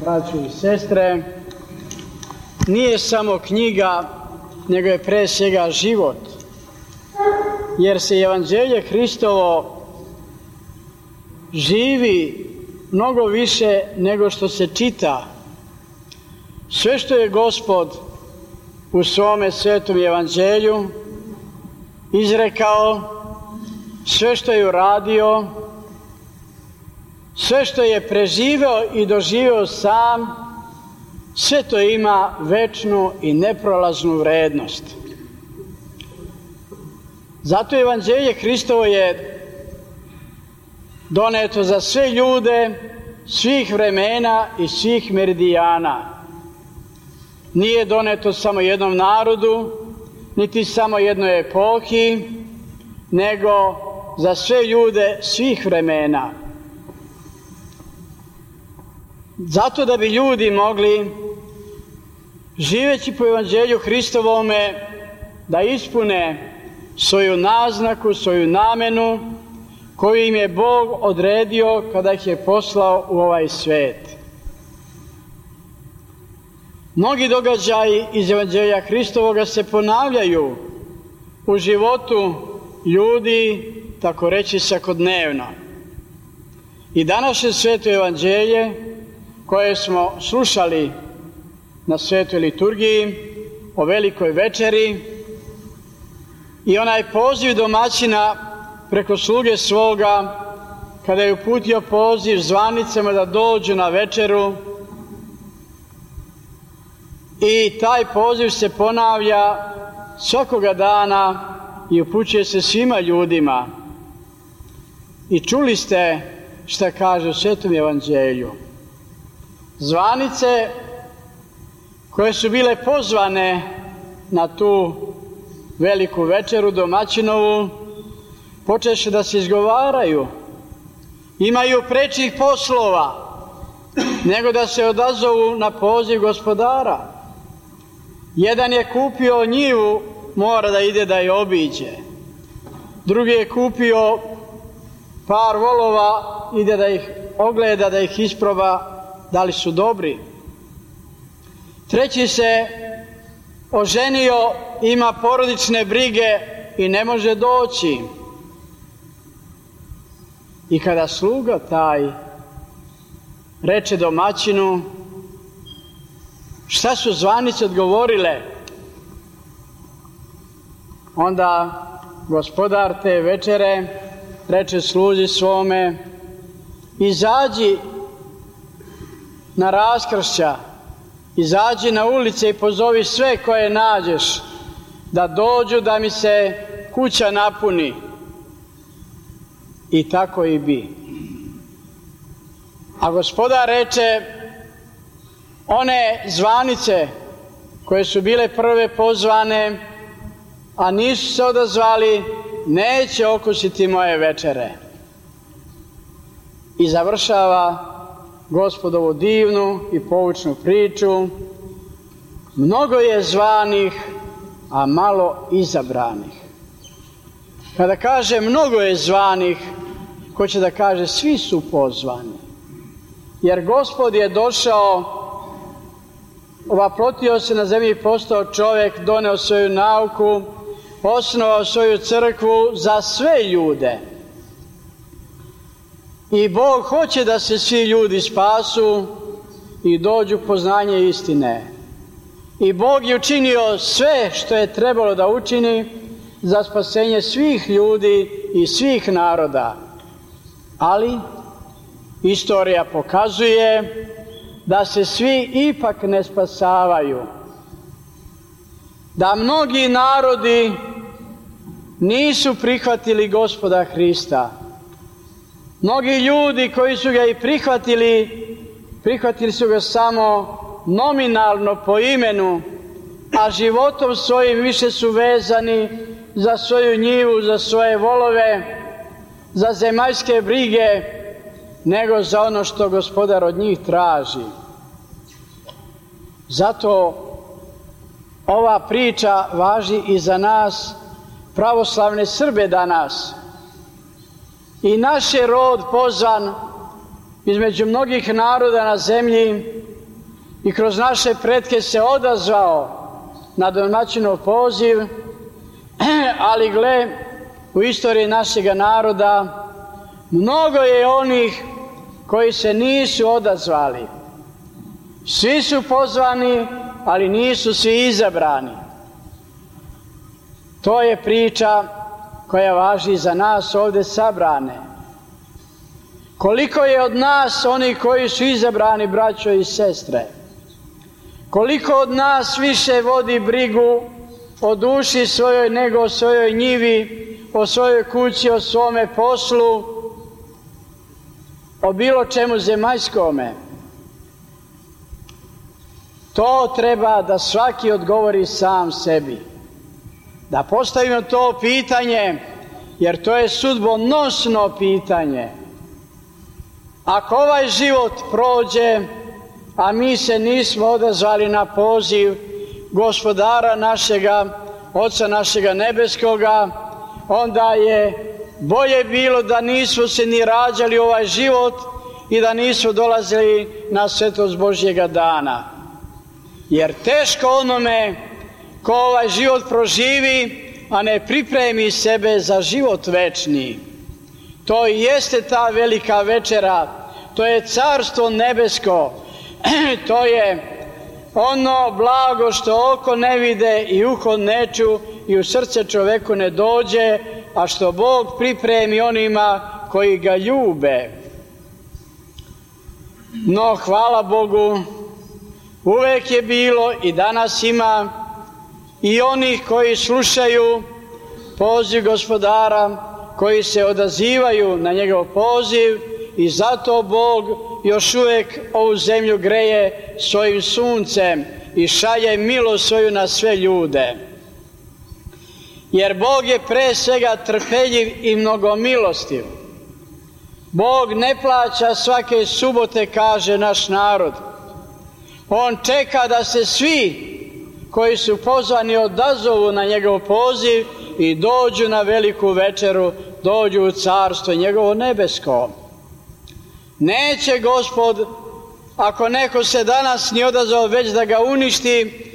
braćo i sestre, nije samo knjiga, nego je pre svega život, jer se Evanđelje Hristovo živi mnogo više nego što se čita. Sve što je Gospod u svome svetom Evanđelju izrekao, sve što je uradio, sve što je preživeo i doživeo sam, sve to ima večnu i neprolaznu vrednost. Zato Evanđelje Hristovo je doneto za sve ljude, svih vremena i svih meridijana. Nije doneto samo jednom narodu, niti samo jednoj epohi, nego za sve ljude svih vremena. Zato da bi ljudi mogli, živeći po Evanđelju Hristovome, da ispune svoju naznaku, svoju namenu koju im je Bog odredio kada ih je poslao u ovaj svet. Mnogi događaji iz Evanđelja Hristovoga se ponavljaju u životu ljudi, tako reći svakodnevno. I današnje sveto Evanđelje koje smo slušali na svetoj liturgiji o velikoj večeri i onaj poziv domaćina preko sluge svoga kada je uputio poziv zvanicama da dođu na večeru, i taj poziv se ponavlja svakoga dana i upućuje se svima ljudima. I čuli ste šta kaže u svetom Evanđelju. Zvanice koje su bile pozvane na tu veliku večeru domaćinovu počeše da se izgovaraju. Imaju prečih poslova nego da se odazovu na poziv Gospodara. Jedan je kupio njivu, mora da ide da je obiđe. Drugi je kupio par volova, ide da ih ogleda, da ih isproba da li su dobri. Treći se oženio, ima porodične brige i ne može doći. I kada sluga taj reče domaćinu, šta su zvanice odgovorile? Onda gospodar te večere reče sluzi svome, izađi na raskršća, izađi na ulice i pozovi sve koje nađeš da dođu da mi se kuća napuni. I tako i bi. A gospodar reče, one zvanice koje su bile prve pozvane, a nisu se odazvali, neće okusiti moje večere. I završava Gospodovu divnu i poučnu priču. Mnogo je zvanih, a malo izabranih. Kada kaže mnogo je zvanih, hoće da kaže svi su pozvani. Jer Gospod je došao, ovaprotio se na zemlji, postao čovjek, doneo svoju nauku, osnovao svoju crkvu za sve ljude. I Bog hoće da se svi ljudi spasu i dođu poznanje istine. I Bog je učinio sve što je trebalo da učini za spasenje svih ljudi i svih naroda. Ali istorija pokazuje da se svi ipak ne spasavaju. Da mnogi narodi nisu prihvatili Gospoda Hrista. Mnogi ljudi koji su ga i prihvatili su ga samo nominalno po imenu, a životom svojim više su vezani za svoju njivu, za svoje volove, za zemaljske brige, nego za ono što Gospodar od njih traži. Zato ova priča važi i za nas, pravoslavne Srbe danas. I naš je rod pozvan između mnogih naroda na zemlji i kroz naše pretke se odazvao na domaćinov poziv, ali gle, u istoriji našega naroda mnogo je onih koji se nisu odazvali. Svi su pozvani, ali nisu svi izabrani. To je priča koja važi za nas ovde sabrane. Koliko je od nas onih koji su izabrani, braćo i sestre? Koliko od nas više vodi brigu o duši svojoj nego o svojoj njivi, o svojoj kući, o svome poslu, o bilo čemu zemaljskome? To treba da svaki odgovori sam sebi. Da postavimo to pitanje, jer to je sudbonosno pitanje. Ako ovaj život prođe, a mi se nismo odazvali na poziv Gospodara našega, Oca našega nebeskoga, onda je bolje bilo da nismo se ni rađali ovaj život i da nismo dolazili na svetost Božjega dana. Jer teško onome ko ovaj život proživi, a ne pripremi sebe za život večni. To i jeste ta velika večera, to je carstvo nebesko, to je ono blago što oko ne vide i uho ne ču i u srce čoveku ne dođe, a što Bog pripremi onima koji ga ljube. No, hvala Bogu, uvek je bilo i danas ima i onih koji slušaju poziv Gospodara, koji se odazivaju na njegov poziv i zato Bog još uvek ovu zemlju greje svojim suncem i šalje milost svoju na sve ljude. Jer Bog je pre svega trpeljiv i mnogomilostiv. Bog ne plaća svake subote, kaže naš narod. On čeka da se svi koji su pozvani odazovu na njegov poziv i dođu na veliku večeru, dođu u carstvo njegovo nebesko. Neće Gospod, ako neko se danas nije odazvao, već da ga uništi,